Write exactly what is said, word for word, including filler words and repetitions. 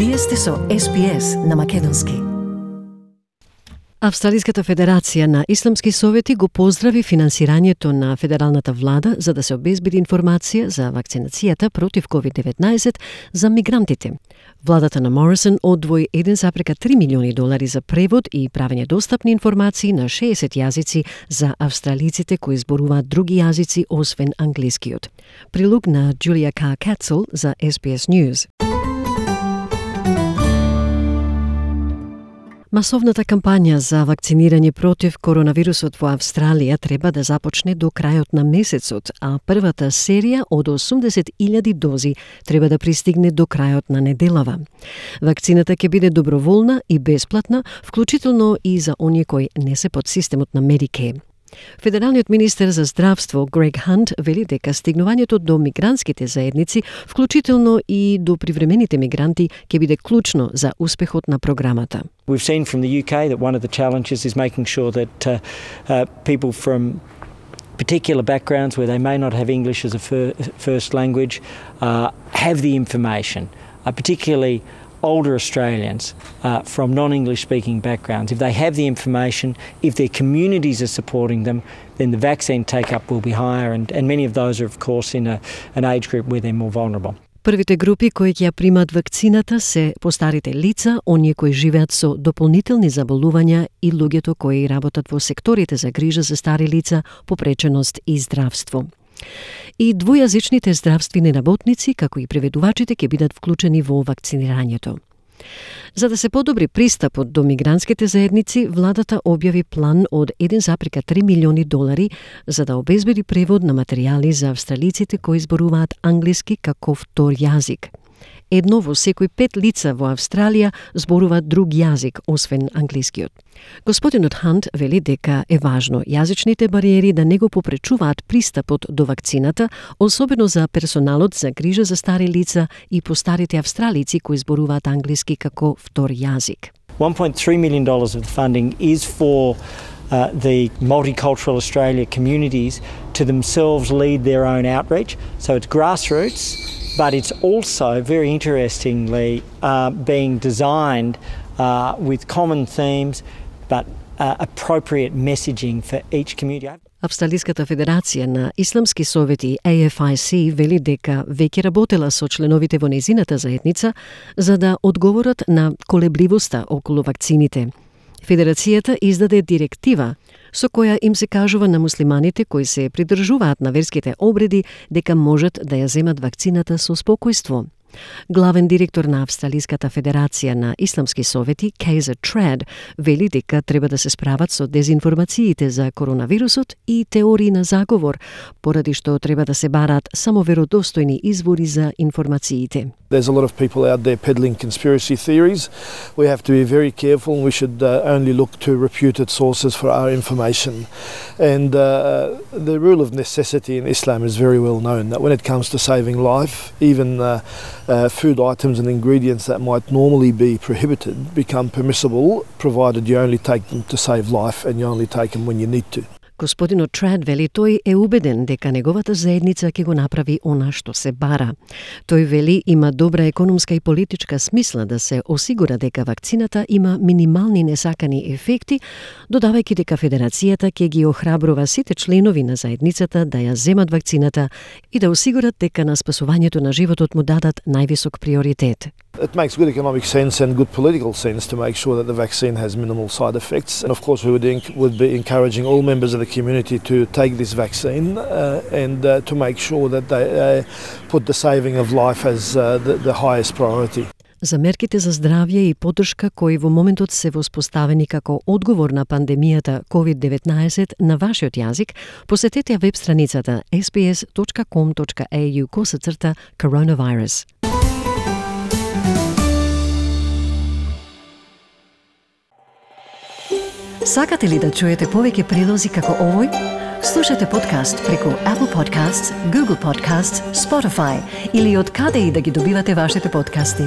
Вие сте со Ес Би Ес на македонски. Австралиската федерација на исламски совети го поздрави финансирањето на федералната влада за да се обезбеди информација за вакцинацијата против ковид деветнаесет за мигрантите. Владата на Морисон одвои еден зарез три милиони долари за превод и правење достапни информации на шеесет јазици за австралиците кои зборуваат други јазици освен англискиот. Прилог на Джулија Кар Кацел за Ес Би Ес News. Масовната кампања за вакцинирање против коронавирусот во Австралија треба да започне до крајот на месецот, а првата серија од осумдесет илјади дози треба да пристигне до крајот на неделава. Вакцината ќе биде доброволна и бесплатна, вклучително и за оние кои не се под системот на Медикеј. Федералниот министер за здравство Грег Хант вели дека стигнувањето до мигрантските заедници, вклучително и до привремените мигранти, ќе биде клучно за успехот на програмата. We've seen from the U K that one of the challenges is making sure that uh, uh, people from particular backgrounds where they may not have English as a fir- first language uh, have the information, uh, particularly older Australians uh, from non-English speaking backgrounds. If they have the information, if their communities are supporting them, then the vaccine take-up will be higher, and, and many of those are of course in a, an age group where they're more vulnerable. Првите групи кои ќе ја примат вакцината се постарите лица, оние кои живеат со дополнителни заболувања и луѓето кои работат во секторите за грижа за стари лица, попреченост и здравство. И двојазичните здравствени работници, како и преведувачите, ќе бидат вклучени во вакцинирањето. За да се подобри пристапот до мигрантските заедници, владата објави план од еден зарез три милиони долари за да обезбеди превод на материјали за австралиците кои зборуваат англиски како втор јазик. Едно во секој пет лица во Австралија зборуваат друг јазик, освен англискиот. Господинот Хант вели дека е важно јазичните бариери да не го попречуваат пристапот до вакцината, особено за персоналот за грижа за стари лица и постарите австралици кои зборуваат англиски како втор јазик. one point three million dollars of the funding is for uh, the multicultural Australia communities to themselves lead their own outreach. So it's grassroots, but it's also, very interestingly, uh, being designed uh, with common themes, but uh, appropriate messaging for each community. Австралиската федерација на исламски совети А Ф И Си вели дека веќе работела со членовите во незината заедница за да одговорат на колебливоста околу вакцините. Федерацијата издаде директива со која им се кажува на муслиманите кои се придржуваат на верските обреди дека можат да ја земат вакцината со спокојство. Главен директор на Австралиската федерација на исламски совети, Кейзер Трад, вели дека треба да се справат со дезинформациите за коронавирусот и теории на заговор, поради што треба да се бараат само веродостојни извори за информациите. There's a lot of people out there peddling conspiracy theories. We have to be very careful, and we should uh, only look to reputed sources for our information. And uh, the rule of necessity in Islam is very well known, that when it comes to saving life, even uh, uh, food items and ingredients that might normally be prohibited become permissible, provided you only take them to save life and you only take them when you need to. Господинот Трад вели тој е убеден дека неговата заедница ќе го направи она што се бара. Тој вели има добра економска и политичка смисла да се осигура дека вакцината има минимални несакани ефекти, додавајќи дека федерацијата ќе ги охрабрува сите членови на заедницата да ја земат вакцината и да осигурат дека на спасувањето на животот му дадат највисок приоритет. It makes good economic sense and good political sense to make sure that the vaccine has minimal side effects. And of course we would, enc- would be encouraging all members of the community to take this vaccine uh, and uh, to make sure that they uh, put the saving of life as uh, the, the highest priority. За мерките за здравје и поддршка кои во моментот се воспоставени како одговор на пандемијата ковид деветнаесет на вашиот јазик, посетете веб страницата ес би ес точка ком точка ей ю косацрта coronavirus. Сакате ли да чуете повеќе прилози како овој? Слушате подкаст преку Apple Podcasts, Google Podcasts, Spotify или од каде и да ги добивате вашите подкасти.